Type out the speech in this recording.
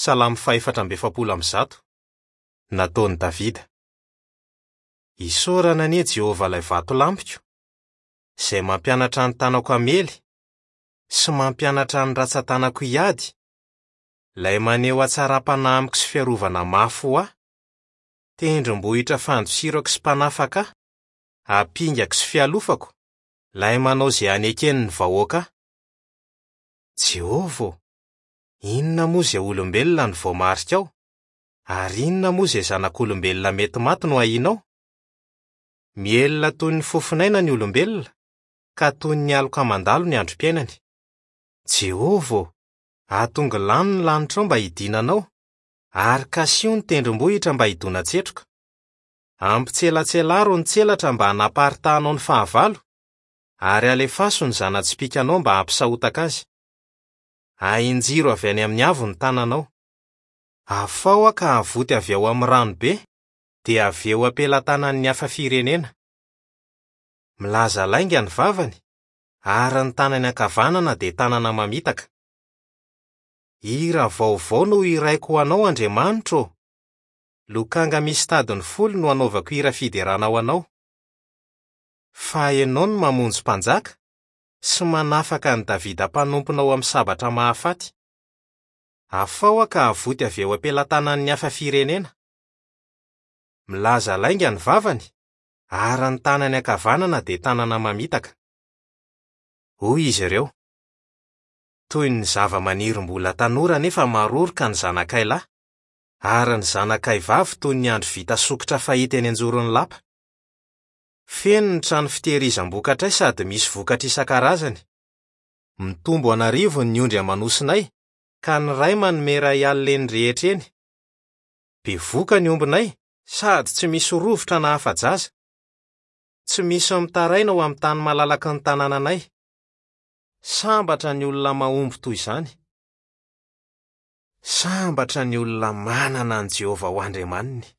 Salamo faha-144. Nataon'i Davida. Isaorana anie Jehovah ilay Vatolampiko, izay mampianatra ny tanako hamely sy mampianatra ny ratsan-tanako hiady, ilay maneho hatsaram-panahy amiko sy fiarovana mafy ho ahy, tendrombohitra fandosirako sy mpanafaka ahy, ampingako sy fialofako, ilay manao izay hanekeny ny vahoaka ahy. Jehovah ô, inona moa izay olombelona no voamarikao, ary inona moa izay zanak'olombelona mety maty no ahianao? Mihelina toy ny fofon'aina ny olombelona, ka toy ny aloka mandalo ny androm-piainany. Jehovah ô, atongilano ny lanitrao mba hidinanao, ary kasiho ny tendrombohitra mba hidona-tsetroka. Ampitselatselaro ny tselatra mba hanaparitahanao ny fahavalo, ary alefaso ny zana-tsipìkanao mba hampisahotaka azy. Ahinjiro avy any amin'ny avo ny tananao. Afaho aho ka avoty avy ao amin'ny rano be, dia avy eo am-pelatanan'ny hafa firenena. Milaza lainga ny vavany, ary ny tanany ankavanana dia tanana mamitaka. Hira vaovao no hiraiko ho anao, Andriamanitro ô! Lokanga misy tadiny folo no hanaovako hira fiderana ho anao. Fa ianao no mamonjy mpanjaka sy manafaka an'i Davida mpanomponao amin'ny sabatra mahafaty. Afaho aho ka avoty avy eo am-pelatanan'ny hafa firenena. Milaza lainga ny vavany, ary ny tanany ankavanana dia tanana mamitaka. Hoy izy ireo, Toy ny zavamaniry mbola tanora nefa maroroka ny zanakay lahy, ary ny zanakay vavy toy ny andry vita sokitra fahita eny anjoron'ny lapa. Feno ny trano fitehirizam-bokatray sady misy vokatra isan-karazany. Mitombo an'arivony ny ondry aman'osinay, ka ny ray manome iray alina eny rehetra eny. Bevoka ny ombinay sady tsy misy rovitra na afa-jaza. Tsy misy mitaraina ao amin'ny tany malalaky ny tanànanay. Sambatra ny olona mahomby toy izany. Sambatra ny olona manana an'i Jehovah ho Andriamaniny.